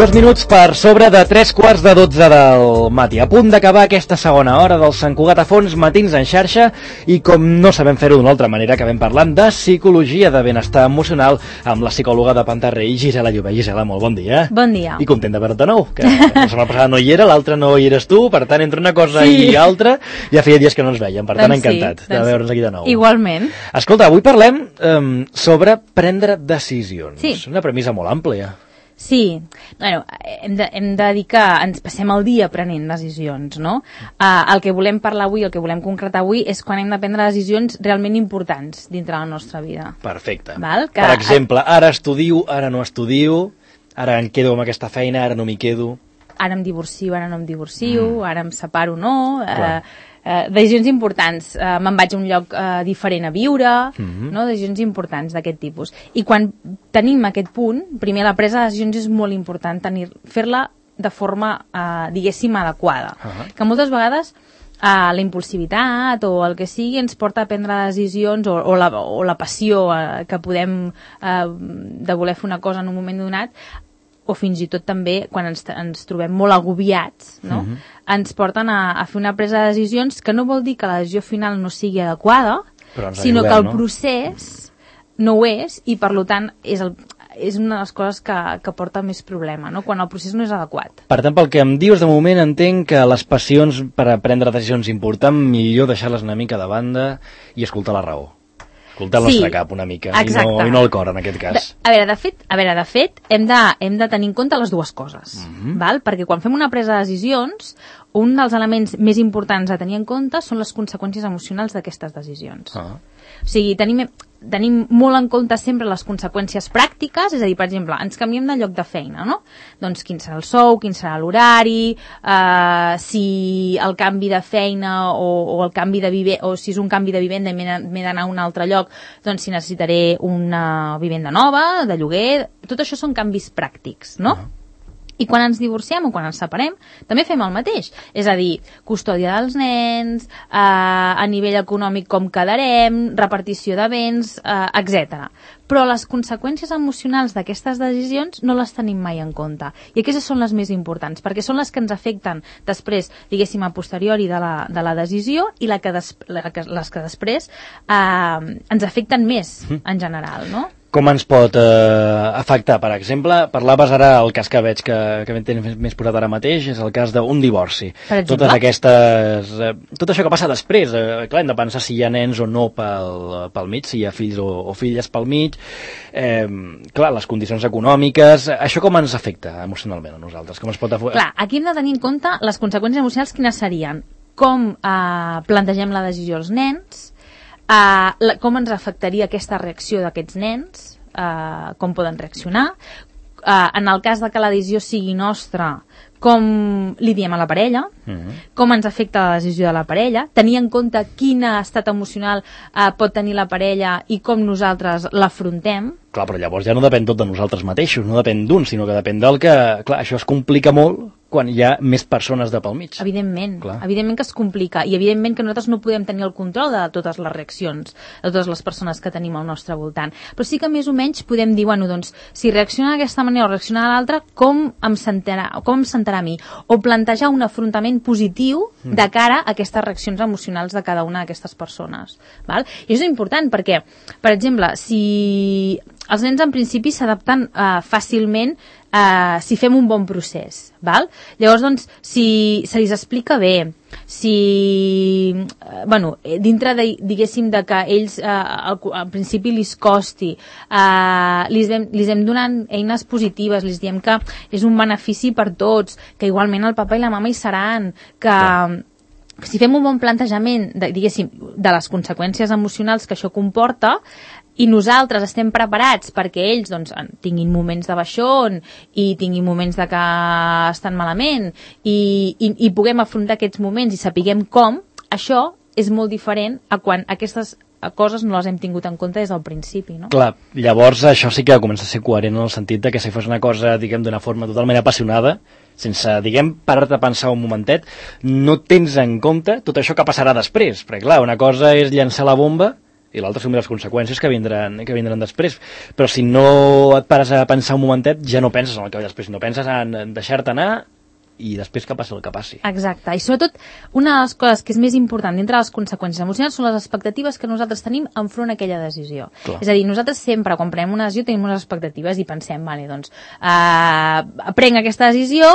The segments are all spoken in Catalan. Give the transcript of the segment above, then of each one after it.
2 minuts per sobre de 3:45 del matí. A punt d'acabar aquesta segona hora del Sant Cugat a Fons, matins en xarxa, i com no sabem fer-ho d'una altra manera, acabem parlant de psicologia de benestar emocional amb la psicòloga de Pantarrei, Gisela Llobet. Gisela, molt bon dia. Bon dia. I content de veure't de nou, que la setmana passada no hi era, l'altra no hi eres tu, per tant, entre una cosa i altra, ja feia dies que no ens vèiem, per tant, encantat de veure'ns aquí de nou. Igualment. Escolta, avui parlem sobre prendre decisions. Sí. Una premissa molt àmplia. Sí, bueno, hem de dir que ens passem el dia prenent decisions, no? El que volem parlar avui, el que volem concretar avui, és quan hem de prendre decisions realment importants dintre la nostra vida. Perfecte. Val? Per exemple, ara estudio, ara no estudio, ara em quedo amb aquesta feina, ara no m'hi quedo. Ara em divorcio, ara no em divorcio, ara em separo o no... decisions importants, me'n vaig a un lloc diferent a viure, no? Decisions importants d'aquest tipus. I quan tenim aquest punt, primer la presa de decisions és molt important, fer-la de forma, diguéssim, adequada. Que moltes vegades la impulsivitat o el que sigui ens porta a prendre decisions o la passió que podem de voler fer una cosa en un moment donat, o fins i tot també quan ens trobem molt agobiats, no? Ens porten a fer una presa de decisions que no vol dir que la decisió final no sigui adequada, sinó que el procés no ho és, i per tant és una de les coses que porta més problema, no? Quan el procés no és adequat. Per tant, pel que em dius, de moment entenc que les passions per a prendre decisions importants, millor deixar-les una mica de banda i escoltar la raó. Escoltar el nostre cap una mica, i no el cor, en aquest cas. A veure, de fet, hem de tenir en compte les dues coses, val? Perquè quan fem una presa de decisions, un dels elements més importants a tenir en compte són les conseqüències emocionals d'aquestes decisions. O sigui, tenim molt en compte sempre les conseqüències pràctiques, és a dir, per exemple, ens canviem de lloc de feina, no? Doncs quin serà el sou, quin serà l'horari, si el canvi de feina o el canvi de vivenda, o si és un canvi de vivenda i m'he d'anar a un altre lloc, doncs si necessitaré una vivenda nova, de lloguer, tot això són canvis pràctics, no? I quan ens divorciem o quan ens separem, també fem el mateix. És a dir, custòdia dels nens, a nivell econòmic com quedarem, repartició de béns, etc. Però les conseqüències emocionals d'aquestes decisions no les tenim mai en compte. I aquestes són les més importants, perquè són les que ens afecten després, diguéssim, a posteriori de la decisió, i les que després ens afecten més en general, no? Com ens pot afectar? Per exemple, parlaves ara, el cas que veig que tens més posat ara mateix, és el cas d'un divorci. Tot això que passa després, clar, hem de pensar si hi ha nens o no pel mig, si hi ha fills o filles pel mig, clar, les condicions econòmiques, això com ens afecta emocionalment a nosaltres? Com es pot afectar? Clar, aquí hem de tenir en compte les conseqüències emocionals, quines serien? Com plantegem la decisió als nens, com ens afectaria aquesta reacció d'aquests nens, com poden reaccionar, en el cas de que la decisió sigui nostra, com li diem a la parella, com ens afecta la decisió de la parella, tenir en compte quin estat emocional pot tenir la parella i com nosaltres l'afrontem. Clar, però llavors ja no depèn tot de nosaltres mateixos, no depèn d'un, sinó que depèn del que... Clar, això es complica molt quan hi ha més persones de pel mig. Evidentment que es complica, i evidentment que nosaltres no podem tenir el control de totes les reaccions, de totes les persones que tenim al nostre voltant. Però sí que més o menys podem dir, bueno, doncs, si reacciona d'aquesta manera o reacciona de l'altra, com em sentarà a mi? O plantejar un afrontament positiu de cara a aquestes reaccions emocionals de cada una d'aquestes persones. Val? I això és important perquè, per exemple, si els nens en principi s'adapten fàcilment si fem un bon procés, val? Llavors, doncs, si se li explica bé, si, dintre de, diguéssim, de que ells al principi li costi, li hem donant eines positives, li diem que és un benefici per tots, que igualment el papa i la mama hi seran, que... Si fem un bon plantejament, diguéssim, de les conseqüències emocionals que això comporta, i nosaltres estem preparats perquè ells doncs, tinguin moments de baixón i tinguin moments de que estan malament i puguem afrontar aquests moments i sapiguem com, això és molt diferent a quan aquestes coses no les hem tingut en compte des del principi, no? Clar, llavors això sí que comença a ser coherent en el sentit de que si fos una cosa, diguem, d'una forma totalment apassionada, sense, diguem, parar-te a pensar un momentet, no tens en compte tot això que passarà després, perquè clar, una cosa és llançar la bomba i l'altre assumir les conseqüències que vindran després. Però si no et pares a pensar un momentet, ja no penses en el que ve després, no penses en deixar-te anar i després que passi el que passi. Exacte, i sobretot una de les coses que és més important dintre de les conseqüències emocionals són les expectatives que nosaltres tenim enfront a aquella decisió. Clar. És a dir, nosaltres sempre quan prenem una decisió tenim unes expectatives i pensem, vale, doncs, prenc aquesta decisió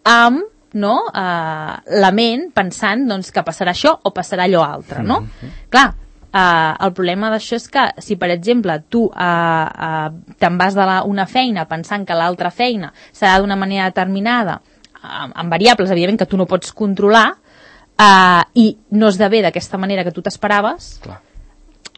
amb la ment pensant doncs, que passarà això o passarà allò altre, no? Clar, el problema d'això és que si, per exemple, tu te'n vas d'una feina pensant que l'altra feina serà d'una manera determinada, amb variables, evidentment, que tu no pots controlar, i no esdevé d'aquesta manera que tu t'esperaves, clar,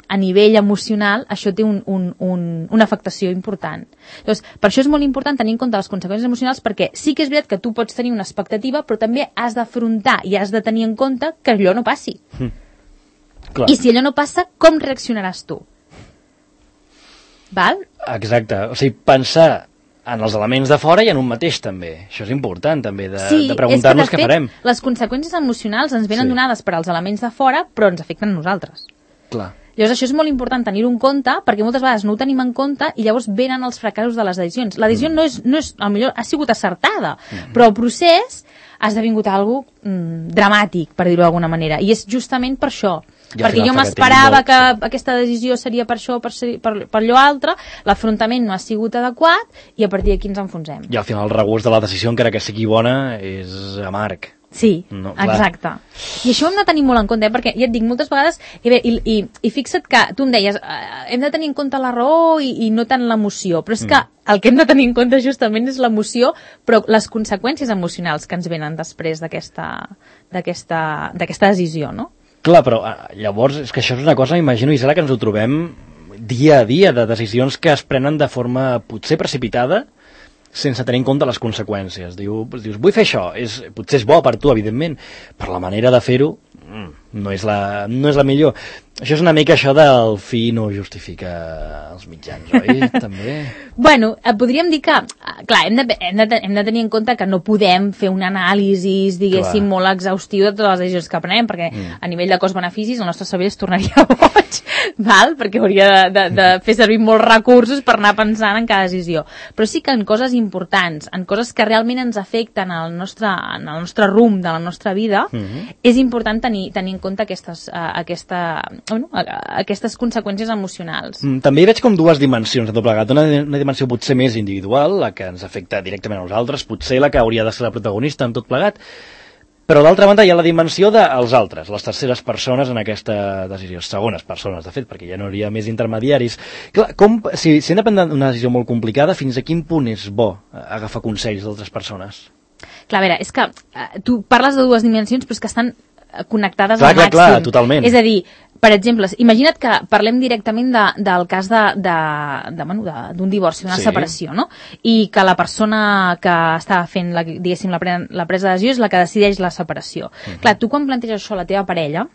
a nivell emocional això té una afectació important. Llavors, per això és molt important tenir en compte les conseqüències emocionals, perquè sí que és veritat que tu pots tenir una expectativa, però també has d'afrontar i has de tenir en compte que allò no passi. Clar. I si allò no passa, com reaccionaràs tu? Val? Exacte, o sigui, pensar en els elements de fora i en un mateix també. Això és important també, de preguntar-nos què farem. Les conseqüències emocionals ens venen donades per als elements de fora, però ens afecten a nosaltres. Clar. Llavors això és molt important tenir-ho en compte, perquè moltes vegades no ho tenim en compte i llavors venen els fracassos de les decisions. La decisió no és potser ha sigut acertada, però el procés ha esdevingut algo dramàtic, per dir-ho d'alguna manera, i és justament per això. Perquè jo m'esperava que aquesta decisió seria per això o per allò altre, l'afrontament no ha sigut adequat i a partir d'aquí ens enfonsem. I al final el regust de la decisió, encara que sigui bona, és amarg. Sí, no, exacte. I això ho hem de tenir molt en compte, perquè ja et dic, moltes vegades, i fixa't que tu em deies, hem de tenir en compte la raó i no tant l'emoció, però és que el que hem de tenir en compte justament és l'emoció, però les conseqüències emocionals que ens venen després d'aquesta decisió, no? Clar, però llavors és que això és una cosa, m'imagino, Isela, que ens ho trobem dia a dia, de decisions que es prenen de forma potser precipitada, sense tenir en compte les conseqüències. Dius, vull fer això, potser és bo per tu, evidentment, però la manera de fer-ho no és la millor. Això és una mica això del fi no justifica els mitjans, oi? També. Bueno, podríem dir que, clar, hem de tenir en compte que no podem fer un anàlisi, diguéssim, molt exhaustiu de totes les decisions que prenem, perquè a nivell de cost-beneficis el nostre cervell es tornaria boig, val? Perquè hauria de fer servir molts recursos per anar pensant en cada decisió. Però sí que en coses importants, en coses que realment ens afecten en el nostre rumb de la nostra vida, és important tenir en compte aquestes conseqüències emocionals. També hi veig com dues dimensions de tot plegat. Una dimensió potser més individual, la que ens afecta directament a nosaltres, potser la que hauria de ser la protagonista en tot plegat, però d'altra banda hi ha la dimensió dels altres, les terceres persones en aquesta decisió, segones persones, de fet, perquè ja no hi hauria més intermediaris. Clar, si hem de prendre una decisió molt complicada, fins a quin punt és bo agafar consells d'altres persones? Clar, a veure, és que tu parles de dues dimensions, però és que estan connectades al màxim. Clar, totalment. És a dir, per exemple, imagina't que parlem directament del cas d'un divorci, d'una separació, no? I que la persona que està fent, diguéssim, la presa de decisió és la que decideix la separació. Clar, tu quan planteges això a la teva parella,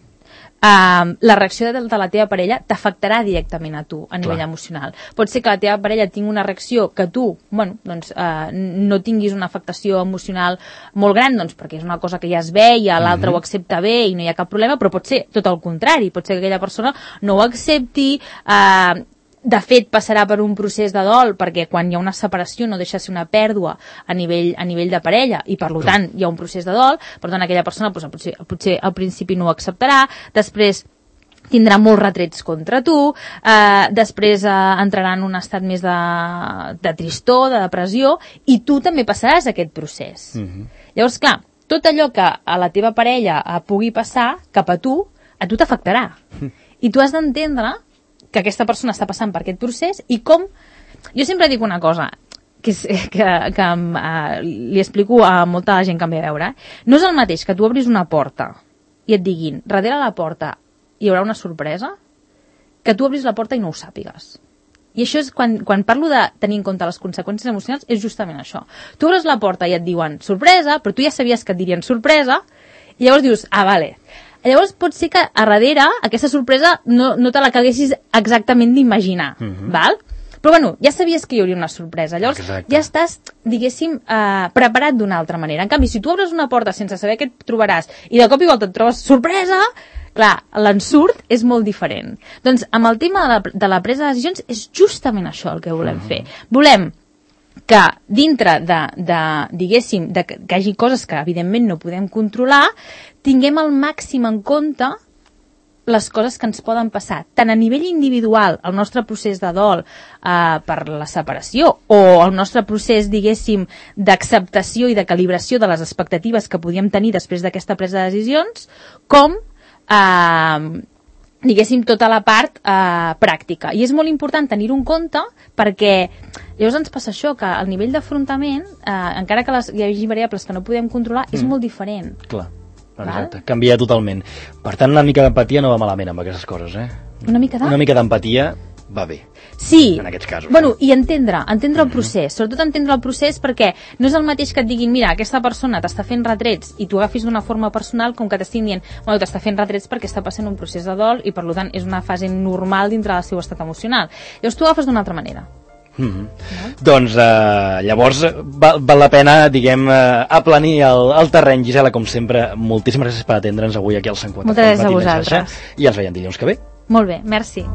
la reacció de la teva parella t'afectarà directament a tu a nivell emocional. Pot ser que la teva parella tingui una reacció que tu, no tinguis una afectació emocional molt gran, doncs perquè és una cosa que ja es veia, l'altre ho accepta bé i no hi ha cap problema, però pot ser tot el contrari, pot ser que aquella persona no ho accepti, de fet passarà per un procés de dol, perquè quan hi ha una separació no deixa de ser una pèrdua a nivell de parella i per tant hi ha un procés de dol, per tant aquella persona potser al principi no ho acceptarà, després tindrà molts retrets contra tu, després entrarà en un estat més de tristor, de depressió, i tu també passaràs aquest procés. Llavors, clar, tot allò que a la teva parella pugui passar cap a tu t'afectarà. I tu has d'entendre que aquesta persona està passant per aquest procés i com... Jo sempre dic una cosa que li explico a molta gent que em ve a veure. No és el mateix que tu obris una porta i et diguin, darrere la porta hi haurà una sorpresa, que tu obris la porta i no ho sàpigues. I això és quan parlo de tenir en compte les conseqüències emocionals, és justament això. Tu obres la porta i et diuen sorpresa, però tu ja sabies que et dirien sorpresa, i llavors dius, vale. Llavors pot ser que a darrere aquesta sorpresa no te la caguessis exactament d'imaginar, val? Però bueno, ja sabies que hi hauria una sorpresa, llavors ja estàs, diguéssim, preparat d'una altra manera. En canvi, si tu obres una porta sense saber què et trobaràs i de cop i volta et trobes sorpresa, Clar, l'ensurt és molt diferent. Doncs amb el tema de la presa de decisions és justament això el que volem fer. Volem que dintre diguéssim, que hi hagi coses que evidentment no podem controlar, tinguem al màxim en compte les coses que ens poden passar, tant a nivell individual, el nostre procés de dol per la separació, o el nostre procés, diguéssim, d'acceptació i de calibració de les expectatives que podíem tenir després d'aquesta presa de decisions, com diguéssim, tota la part pràctica. I és molt important tenir-ho en compte perquè llavors ens passa això, que el nivell d'afrontament, encara que hi hagi variables que no podem controlar, és molt diferent. Clar, exacte, canvia totalment. Per tant, una mica d'empatia no va malament amb aquestes coses, eh? Una mica d'empatia va bé. Sí, en aquests casos. Bueno, i entendre el procés, sobretot entendre el procés perquè no és el mateix que et diguin, mira, aquesta persona t'està fent retrets i tu agafis d'una forma personal com que t'estiguin dient, bueno, t'està fent retrets perquè està passant un procés de dol i per tant és una fase normal dintre del seu estat emocional. Llavors tu agafes d'una altra manera. No? Doncs llavors val la pena, diguem, aplanir el terreny. Gisela, com sempre, moltíssimes gràcies per atendre'ns avui aquí al 104. Moltes gràcies a vosaltres. I ens veiem dilluns que ve. Molt bé, merci.